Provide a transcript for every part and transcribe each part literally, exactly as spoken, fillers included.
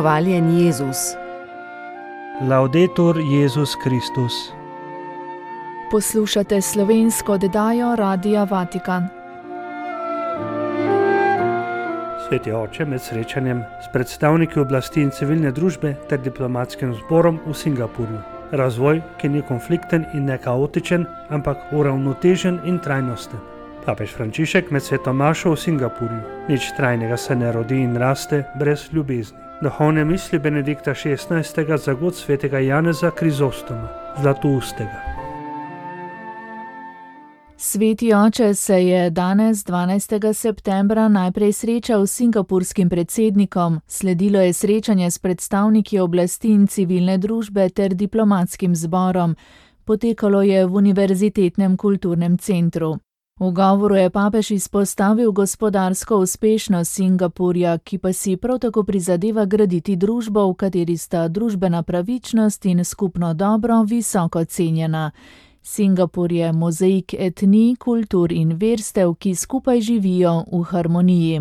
Hvaljen Jezus. Laudetur Jezus Kristus. Poslušate slovensko oddajo Radia Vatikan. Sveti oče, med srečanjem s predstavniki oblasti in civilne družbe ter diplomatskim zborom v Singapurju. Razvoj, ki ni konflikten in ne kaotičen, ampak uravnotežen in trajnosten. Papež Frančišek med sveto mašo v Singapurju. Nič trajnega se ne rodi in raste brez ljubezni. Duhovne misli Benedikta šestnajstega za god svetega Janeza Krizostoma, zlatoustega. Sveti oče se je danes, dvanajstega septembra, najprej srečal s singapurskim predsednikom, sledilo je srečanje s predstavniki oblasti in civilne družbe ter diplomatskim zborom. Potekalo je v Univerzitetnem kulturnem centru. V govoru je papež izpostavil gospodarsko uspešnost Singapurja, ki pa si prav tako prizadeva graditi družbo, v kateri sta družbena pravičnost in skupno dobro visoko cenjena. Singapur je mozaik etnij, kultur in verstev, ki skupaj živijo v harmoniji.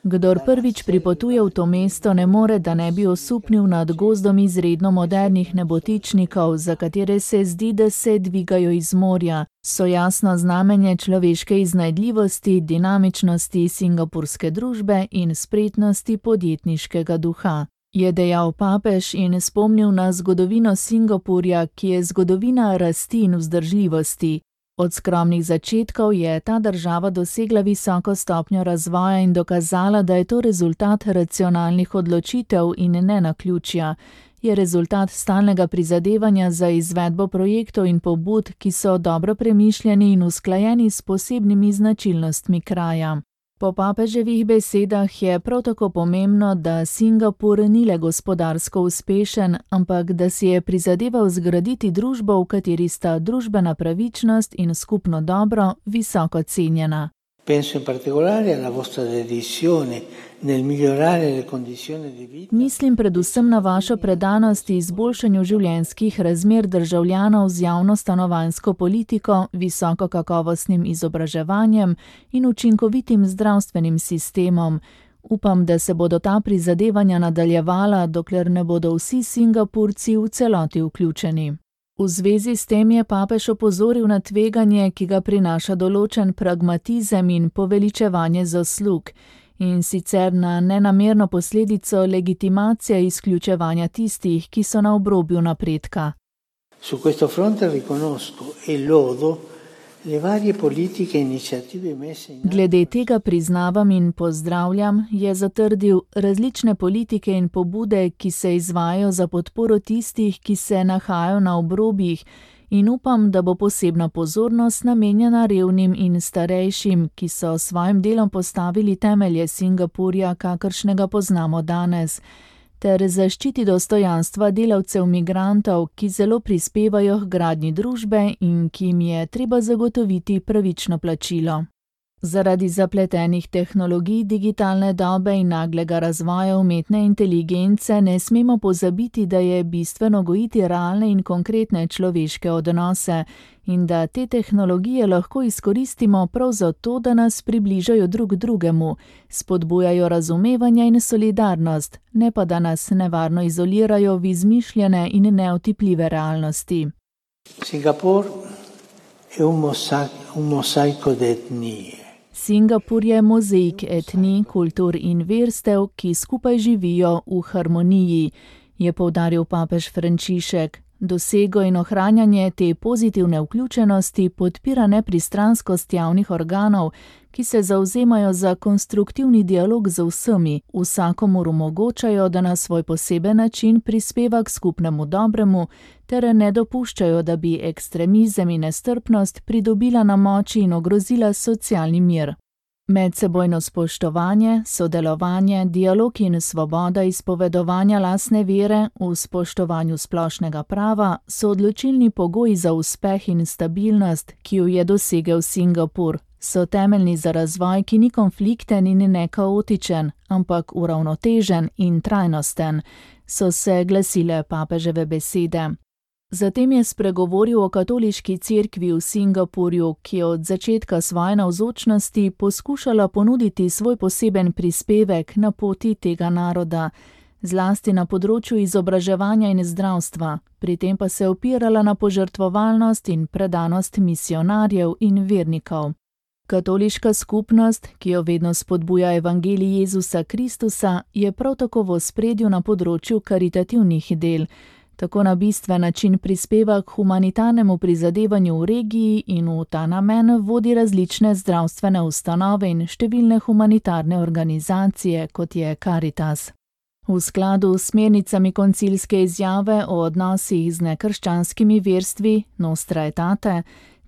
Kdor prvič pripotuje v to mesto, ne more, da ne bi osupnil nad gozdom izredno modernih nebotičnikov, za katere se zdi, da se dvigajo iz morja. So jasno znamenje človeške iznajdljivosti, dinamičnosti singapurske družbe in spretnosti podjetniškega duha. Je dejal papež in spomnil na zgodovino Singapurja, ki je zgodovina rasti in vzdržljivosti. Od skromnih začetkov je ta država dosegla visoko stopnjo razvoja in dokazala, da je to rezultat racionalnih odločitev in ne naključja. Je rezultat stalnega prizadevanja za izvedbo projektov in pobud, ki so dobro premišljeni in usklajeni s posebnimi značilnostmi kraja. Po papeževih besedah je prav tako pomembno, da Singapur ni le gospodarsko uspešen, ampak da si je prizadeval zgraditi družbo, v kateri sta družbena pravičnost in skupno dobro visoko cenjena. Penso in particolare alla vostra dedizione nel migliorare le condizioni di vita. Mislim predvsem na vašo predanost izboljšanju življenjskih razmer državljanov z javno stanovanjsko politiko, visoko kakovostnim izobraževanjem in učinkovitim zdravstvenim sistemom. Upam, da se bodo ta prizadevanja nadaljevala, dokler ne bodo vsi Singapurci v celoti vključeni. V zvezi s tem je papež opozoril na tveganje, ki ga prinaša določen pragmatizem in poveličevanje zaslug, in sicer na nenamerno posledico legitimacije izključevanja tistih, ki so na obrobju napredka. Su questo fronte riconosco e lodo le varie politiche e iniziative messe in atto. Glede tega priznavam in pozdravljam, je zatrdil, različne politike in pobude, ki se izvajajo za podporo tistih, ki se nahajajo na obrobjih, in upam, da bo posebna pozornost namenjena revnim in starejšim, ki so s svojim delom postavili temelje Singapurja, kakršnega poznamo danes, ter zaščiti dostojanstva delavcev migrantov, ki zelo prispevajo k gradnji družbe in ki jim je treba zagotoviti pravično plačilo. Zaradi zapletenih tehnologij, digitalne dobe in naglega razvoja umetne inteligence ne smemo pozabiti, da je bistveno gojiti realne in konkretne človeške odnose in da te tehnologije lahko izkoristimo prav zato, da nas približajo drug drugemu, spodbujajo razumevanje in solidarnost, ne pa da nas nevarno izolirajo v izmišljene in neotipljive realnosti. Singapur je un mosaico, un mosaico di etnie. Singapur je mozaik etnij, kultur in verstev, ki skupaj živijo v harmoniji, je poudaril papež Frančišek. Dosego in ohranjanje te pozitivne vključenosti podpira nepristranskost javnih organov, ki se zavzemajo za konstruktivni dialog z vsemi, vsakomur omogočajo, da na svoj poseben način prispeva k skupnemu dobremu, ter ne dopuščajo, da bi ekstremizem in nestrpnost pridobila na moči in ogrozila socialni mir. Medsebojno spoštovanje, sodelovanje, dialog in svoboda izpovedovanja lastne vere v spoštovanju splošnega prava so odločilni pogoji za uspeh in stabilnost, ki jo je dosegel Singapur. So temeljni za razvoj, ki ni konflikten in ne kaotičen, ampak uravnotežen in trajnosten, so se glasile papeževe besede. Zatem je spregovoril o katoliški cerkvi v Singapurju, ki je od začetka svoje navzočnosti poskušala ponuditi svoj poseben prispevek na poti tega naroda, zlasti na področju izobraževanja in zdravstva, pri tem pa se opirala na požrtvovalnost in predanost misionarjev in vernikov. Katoliška skupnost, ki jo vedno spodbuja evangelij Jezusa Kristusa, je prav tako v ospredju na področju karitativnih del, tako na bistven način prispeva k humanitarnemu prizadevanju v regiji in v ta namen vodi različne zdravstvene ustanove in številne humanitarne organizacije, kot je Caritas. V skladu s smernicami koncilske izjave o odnosih z nekrščanskimi verstvi Nostra Aetate,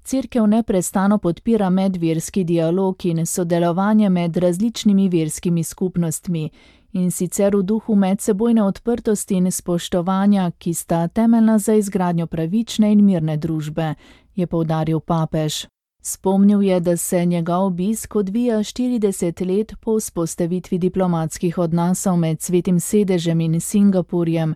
cerkev neprestano podpira medverski dialog in sodelovanje med različnimi verskimi skupnostmi, in sicer v duhu medsebojne odprtosti in spoštovanja, ki sta temeljna za izgradnjo pravične in mirne družbe, je poudaril papež. Spomnil je, da se njegov obisk odvija štirideset let po vzpostavitvi diplomatskih odnosov med Svetim sedežem in Singapurjem,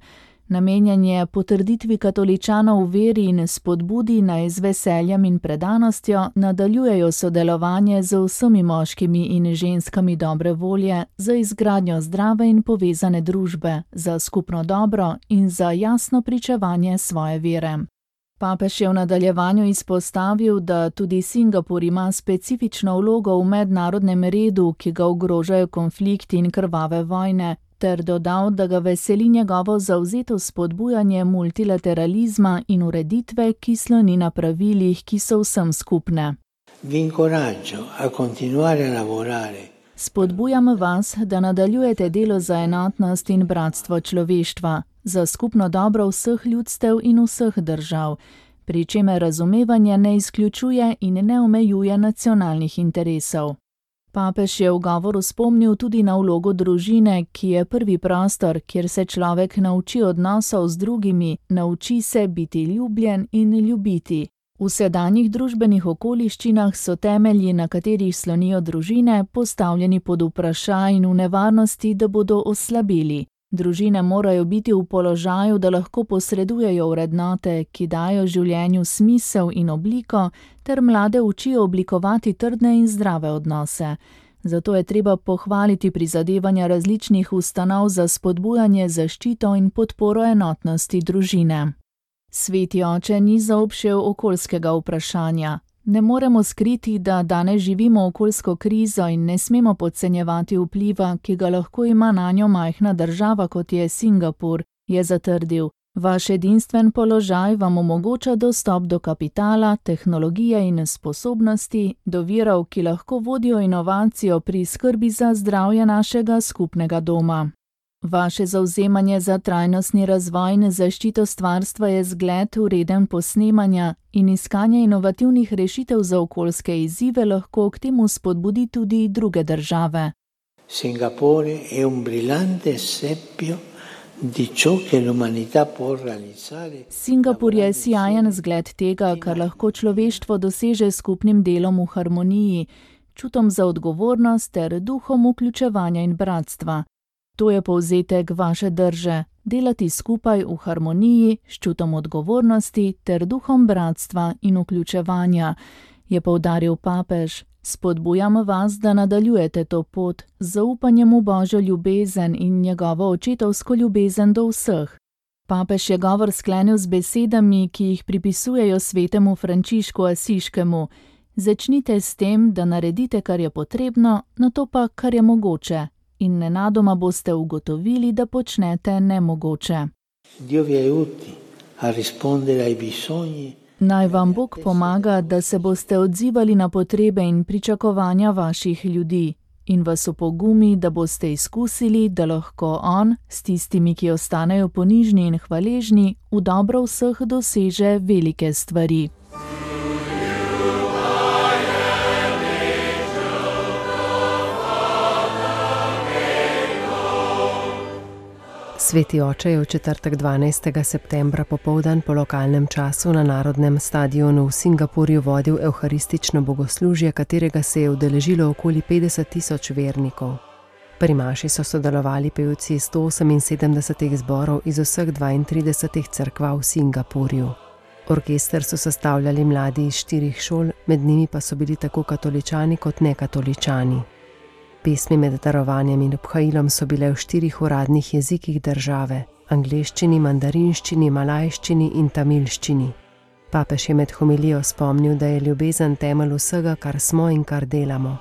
namenjen je potrditvi katoličanov v veri in spodbudi naj z veseljem in predanostjo nadaljujejo sodelovanje z vsemi moškimi in ženskami dobre volje za izgradnjo zdrave in povezane družbe, za skupno dobro in za jasno pričevanje svoje vere. Papež je v nadaljevanju izpostavil, da tudi Singapur ima specifično vlogo v mednarodnem redu, ki ga ogrožajo konflikti in krvave vojne, ter dodal, da ga veseli njegovo zavzeto spodbujanje multilateralizma in ureditve, ki sloni na pravilih, ki so vsem skupne. Vi incoraggio a continuare a lavorare. Spodbujam vas, da nadaljujete delo za enotnost in bratstvo človeštva, za skupno dobro vseh ljudstev in vseh držav, pri čemer razumevanje ne izključuje in ne omejuje nacionalnih interesov. Papež je v govoru spomnil tudi na vlogo družine, ki je prvi prostor, kjer se človek nauči odnosov z drugimi, nauči se biti ljubljen in ljubiti. V sedanjih družbenih okoliščinah so temelji, na katerih slonijo družine, postavljeni pod vprašaj in v nevarnosti, da bodo oslabeli. Družine morajo biti v položaju, da lahko posredujejo vrednote, ki dajo življenju smisel in obliko, ter mlade učijo oblikovati trdne in zdrave odnose. Zato je treba pohvaliti prizadevanja različnih ustanov za spodbujanje, zaščito in podporo enotnosti družine. Sveti oče ni zaobšel okoljskega vprašanja. Ne moremo skriti, da danes živimo okoljsko krizo in ne smemo podcenjevati vpliva, ki ga lahko ima nanjo majhna država, kot je Singapur, je zatrdil. Vaš edinstven položaj vam omogoča dostop do kapitala, tehnologije in sposobnosti, do virov, ki lahko vodijo inovacijo pri skrbi za zdravje našega skupnega doma. Vaše zavzemanje za trajnostni razvoj in zaščito stvarstva je zgled vreden posnemanja in iskanje inovativnih rešitev za okoljske izzive lahko k temu spodbudi tudi druge države. Singapore è un brillante esempio di ciò che l'umanità può realizzare. Singapur je sijajen zgled tega, kar lahko človeštvo doseže skupnim delom v harmoniji, čutom za odgovornost ter duhom vključevanja in bratstva. To je povzetek vaše drže, delati skupaj v harmoniji, s čutom odgovornosti ter duhom bratstva in vključevanja, je poudaril papež. Spodbujam vas, da nadaljujete to pot z zaupanjem v Božjo ljubezen in njegovo očetovsko ljubezen do vseh. Papež je govor sklenil z besedami, ki jih pripisujejo svetemu Frančišku Asiškemu. Začnite s tem, da naredite, kar je potrebno, nato pa, kar je mogoče. In nenadoma boste ugotovili, da počnete nemogoče. Dio vi aiuti a rispondere ai bisogni. Naj vam Bog pomaga, da se boste odzivali na potrebe in pričakovanja vaših ljudi in vas opogumi, da boste izkusili, da lahko on s tistimi, ki ostanejo ponižni in hvaležni, v dobro vseh doseže velike stvari. Sveti oče je v četrtek dvanajstega septembra popoldan po lokalnem času na Narodnem stadionu v Singapurju vodil evharistično bogoslužje, katerega se je udeležilo okoli petdeset tisoč vernikov. Pri maši so sodelovali pevci sto oseminsedemdesetih zborov iz vseh dvaintridesetih cerkva v Singapurju. Orkester so sestavljali mladi iz štirih šol, med njimi pa so bili tako katoličani kot nekatoličani. Pesmi med darovanjem in obhajilom so bile v štirih uradnih jezikih države: angleščini, mandarinščini, malajščini in tamilščini. Papež je med homilijo spomnil, da je ljubezen temelj vsega, kar smo in kar delamo.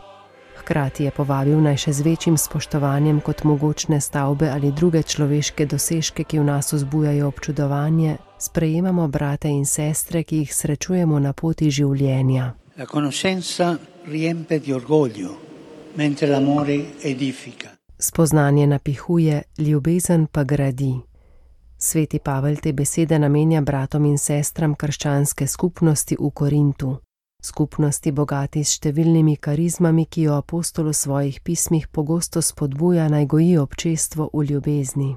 Hkrati je povabil, naj še z večjim spoštovanjem kot mogočne stavbe ali druge človeške dosežke, ki v nas vzbujajo občudovanje, sprejemamo brate in sestre, ki jih srečujemo na poti življenja. La conoscenza riempie di orgoglio, mentre l'amore edifica. Spoznanje napihuje, ljubezen pa gradi. Sveti Pavel te besede namenja bratom in sestram krščanske skupnosti v Korintu. Skupnosti bogati s številnimi karizmami, ki jo apostol v svojih pismih pogosto spodbuja, naj goji občestvo v ljubezni.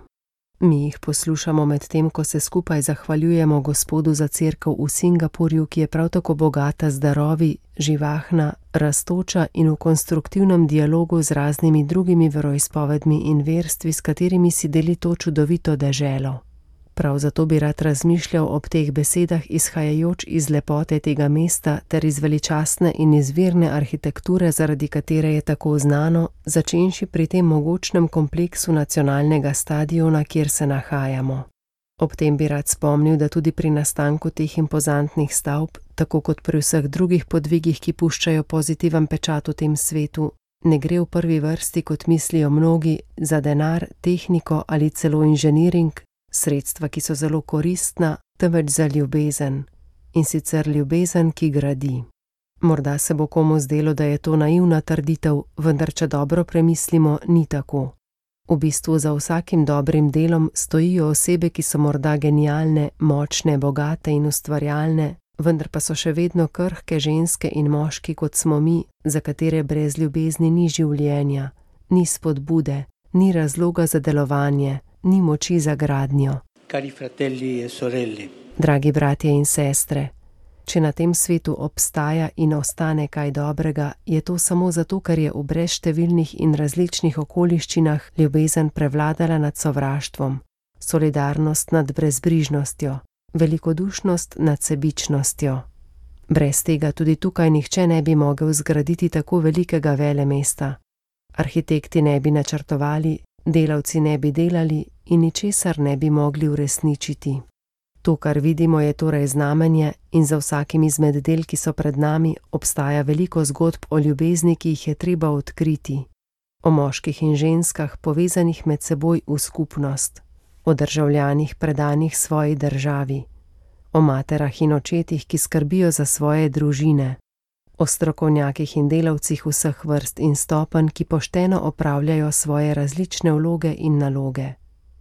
Mi jih poslušamo med tem, ko se skupaj zahvaljujemo Gospodu za cerkev v Singapurju, ki je prav tako bogata z darovi, živahna, rastoča in v konstruktivnem dialogu z raznimi drugimi veroizpovedmi in verstvi, s katerimi si deli to čudovito deželo. Prav zato bi rad razmišljal ob teh besedah, izhajajoč iz lepote tega mesta ter iz veličastne in izvirne arhitekture, zaradi katere je tako znano, začenši pri tem mogočnem kompleksu nacionalnega stadiona, kjer se nahajamo. Ob tem bi rad spomnil, da tudi pri nastanku teh impozantnih stavb, tako kot pri vseh drugih podvigih, ki puščajo pozitiven pečat v tem svetu, ne gre v prvi vrsti, kot mislijo mnogi, za denar, tehniko ali celo inženiring, sredstva, ki so zelo koristna, temveč za ljubezen. In sicer ljubezen, ki gradi. Morda se bo komu zdelo, da je to naivna trditev, vendar če dobro premislimo, ni tako. V bistvu za vsakim dobrim delom stojijo osebe, ki so morda genialne, močne, bogate in ustvarjalne, vendar pa so še vedno krhke ženske in moški, kot smo mi, za katere brez ljubezni ni življenja, ni spodbude, ni razloga za delovanje, ni moči za gradnjo. Cari fratelli e sorelle. Dragi bratje in sestre, če na tem svetu obstaja in ostane kaj dobrega, je to samo zato, ker je v brezštevilnih in različnih okoliščinah ljubezen prevladala nad sovraštvom, solidarnost nad brezbrižnostjo, velikodušnost nad sebičnostjo. Brez tega tudi tukaj nihče ne bi mogel zgraditi tako velikega velemesta. Arhitekti ne bi načrtovali, delavci ne bi delali in ničesar ne bi mogli uresničiti. To, kar vidimo, je torej znamenje in za vsakim izmed del, ki so pred nami, obstaja veliko zgodb o ljubezni, ki jih je treba odkriti. O moških in ženskah, povezanih med seboj v skupnost. O državljanih, predanih svoji državi. O materah in očetih, ki skrbijo za svoje družine. O strokovnjakih in delavcih vseh vrst in stopenj, ki pošteno opravljajo svoje različne vloge in naloge.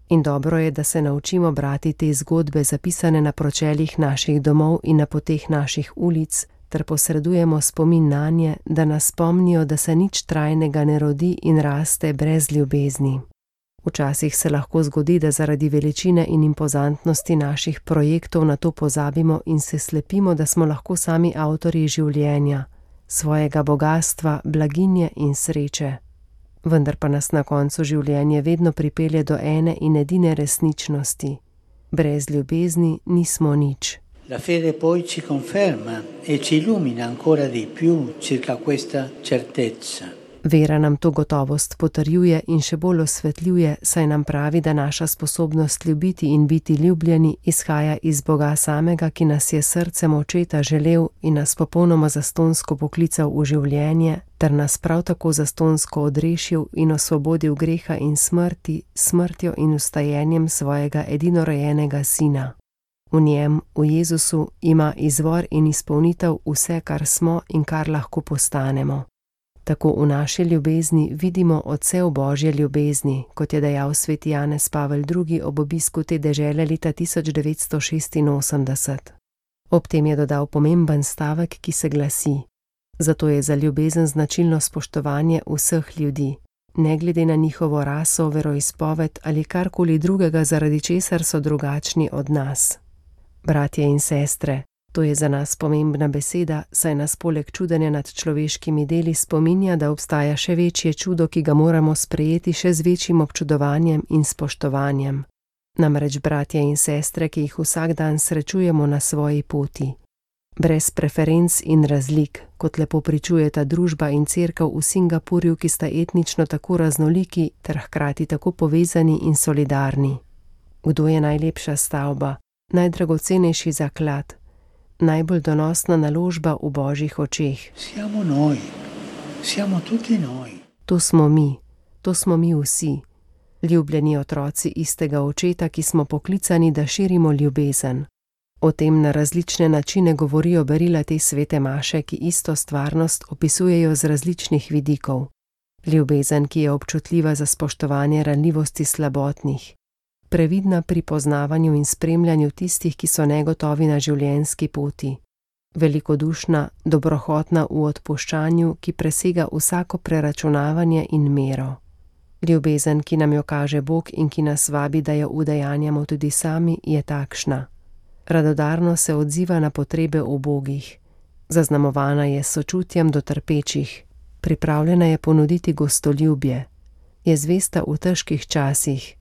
In dobro je, da se naučimo brati te zgodbe, zapisane na pročeljih naših domov in na poteh naših ulic, ter posredujemo spomin nanje, da nas spomnijo, da se nič trajnega ne rodi in raste brez ljubezni. Včasih se lahko zgodi, da zaradi veličine in impozantnosti naših projektov na to pozabimo in se slepimo, da smo lahko sami avtorji življenja, svojega bogastva, blaginje in sreče. Vendar pa nas na koncu življenje vedno pripelje do ene in edine resničnosti. Brez ljubezni nismo nič. La fede poi ci conferma e ci illumina ancora di più circa questa certezza. Vera nam to gotovost potrjuje in še bolj osvetljuje, saj nam pravi, da naša sposobnost ljubiti in biti ljubljeni izhaja iz Boga samega, ki nas je srcem očeta želel in nas popolnoma zastonsko poklical v življenje, ter nas prav tako zastonsko odrešil in osvobodil greha in smrti, smrtjo in vstajenjem svojega edinorojenega sina. V njem, v Jezusu, ima izvor in izpolnitev vse, kar smo in kar lahko postanemo. Tako v naši ljubezni vidimo odsev Božje ljubezni, kot je dejal sveti Janez Pavel drugi ob obisku te dežele leta tisoč devetsto šestinosemdeset. Ob tem je dodal pomemben stavek, ki se glasi: zato je za ljubezen značilno spoštovanje vseh ljudi, ne glede na njihovo raso, veroizpoved ali karkoli drugega, zaradi česar so drugačni od nas. Bratje in sestre, To je za nas pomembna beseda, saj nas poleg čudenja nad človeškimi deli spominja, da obstaja še večje čudo, ki ga moramo sprejeti še z večjim občudovanjem in spoštovanjem. Namreč bratje in sestre, ki jih vsak dan srečujemo na svoji poti. Brez preferenc in razlik, kot lepo pričujeta družba in cerkev v Singapurju, ki sta etnično tako raznoliki ter hkrati tako povezani in solidarni. Kdo je najlepša stavba, najdragocenejši zaklad, najbolj donosna naložba v Božjih očeh? Siamo noi, siamo tutti noi. To smo mi, to smo mi vsi, ljubljeni otroci istega očeta, ki smo poklicani, da širimo ljubezen. O tem na različne načine govorijo berila te svete maše, ki isto stvarnost opisujejo z različnih vidikov. Ljubezen, ki je občutljiva za spoštovanje ranljivosti slabotnih. Previdna pri poznavanju in spremljanju tistih, ki so negotovi na življenjski poti. Velikodušna, dobrohotna v odpuščanju, ki presega vsako preračunavanje in mero. Ljubezen, ki nam jo kaže Bog in ki nas vabi, da jo udejanjamo tudi sami, je takšna. Radodarno se odziva na potrebe ubogih. Zaznamovana je s sočutjem do trpečih. Pripravljena je ponuditi gostoljubje. Je zvesta v težkih časih.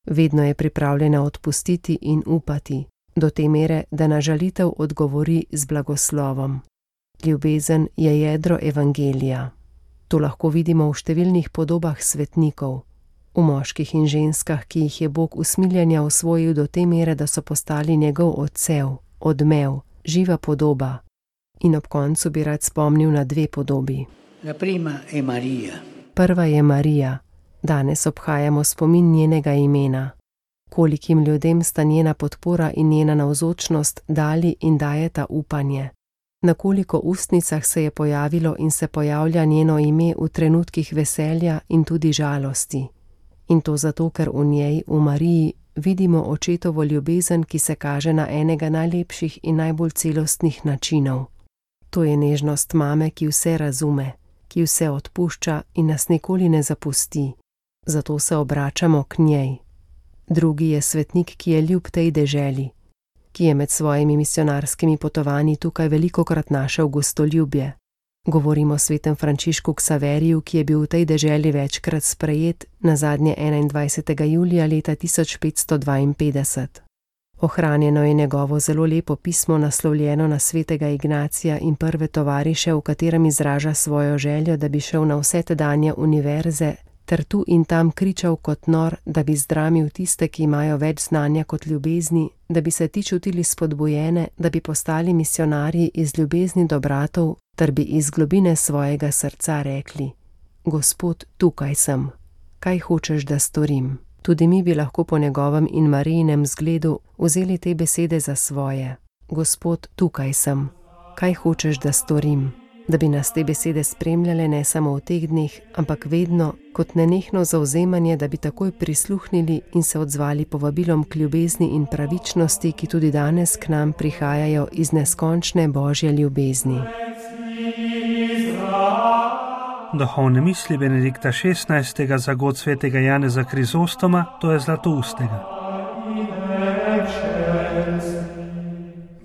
Vedno je pripravljena odpustiti in upati, do te mere, da na žalitev odgovori z blagoslovom. Ljubezen je jedro evangelija. To lahko vidimo v številnih podobah svetnikov, v moških in ženskah, ki jih je Bog usmiljenja osvojil do te mere, da so postali njegov odsev, odmev, živa podoba. In ob koncu bi rad spomnil na dve podobi. La prima è Maria. Prva je Marija. Danes obhajamo spomin njenega imena. Kolikim ljudem sta njena podpora in njena navzočnost dali in dajeta upanje. Na koliko ustnicah se je pojavilo in se pojavlja njeno ime v trenutkih veselja in tudi žalosti. In to zato, ker v njej, v Mariji, vidimo očetovo ljubezen, ki se kaže na enega najlepših in najbolj celostnih načinov. To je nežnost mame, ki vse razume, ki vse odpušča in nas nikoli ne zapusti. Zato se obračamo k njej. Drugi je svetnik, ki je ljub tej deželi, ki je med svojimi misionarskimi potovanji tukaj velikokrat našel gostoljubje. Govorimo o svetem Frančišku Ksaveriju, ki je bil v tej deželi večkrat sprejet, nazadnje enaindvajsetega julija leta tisoč petsto dvainpetdeset. Ohranjeno je njegovo zelo lepo pismo, naslovljeno na svetega Ignacija in prve tovariše, v katerem izraža svojo željo, da bi šel na vse tedanje univerze, ter tu in tam kričal kot nor, da bi zdramil tiste, ki imajo več znanja kot ljubezni, da bi se ti čutili spodbujene, da bi postali misionarji iz ljubezni do bratov, ter bi iz globine svojega srca rekli: Gospod, tukaj sem. Kaj hočeš, da storim? Tudi mi bi lahko po njegovem in Marijinem zgledu vzeli te besede za svoje. Gospod, tukaj sem. Kaj hočeš, da storim? Da bi nas te besede spremljale ne samo v teh dneh, ampak vedno, kot nenehno zavzemanje, da bi takoj prisluhnili in se odzvali povabilom k ljubezni in pravičnosti, ki tudi danes k nam prihajajo iz neskončne Božje ljubezni. Duhovne misli Benedikta šestnajstega za god svetega Janeza Krizostoma, to je Zlatoustega.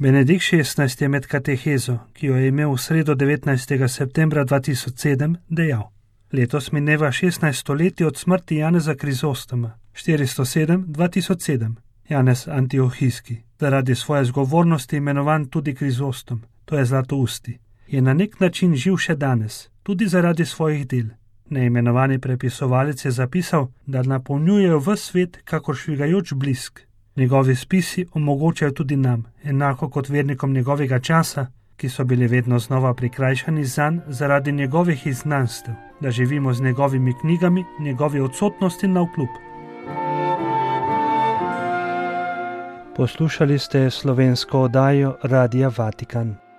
Benedikt šestnajsti je med katehezo, ki jo je imel v sredo devetnajstega septembra dva tisoč sedem, dejal: Letos mineva šestnajst stoletij od smrti Janeza Krizostoma, štiristo sedem dva tisoč sedem, Janez Antiohijski, zaradi svoje zgovornosti imenovan tudi Krizostom, to je Zlatousti, je na nek način živ še danes, tudi zaradi svojih del. Neimenovani prepisovalec je zapisal, da napolnjujejo ves svet kakor švigajoč blisk. Njegovi spisi omogočajo tudi nam, enako kot vernikom njegovega časa, ki so bili vedno znova prikrajšani zanj zaradi njegovih iznanstev, da živimo z njegovimi knjigami, njegovi odsotnosti navkljub. Poslušali ste slovensko oddajo Radia Vatikan.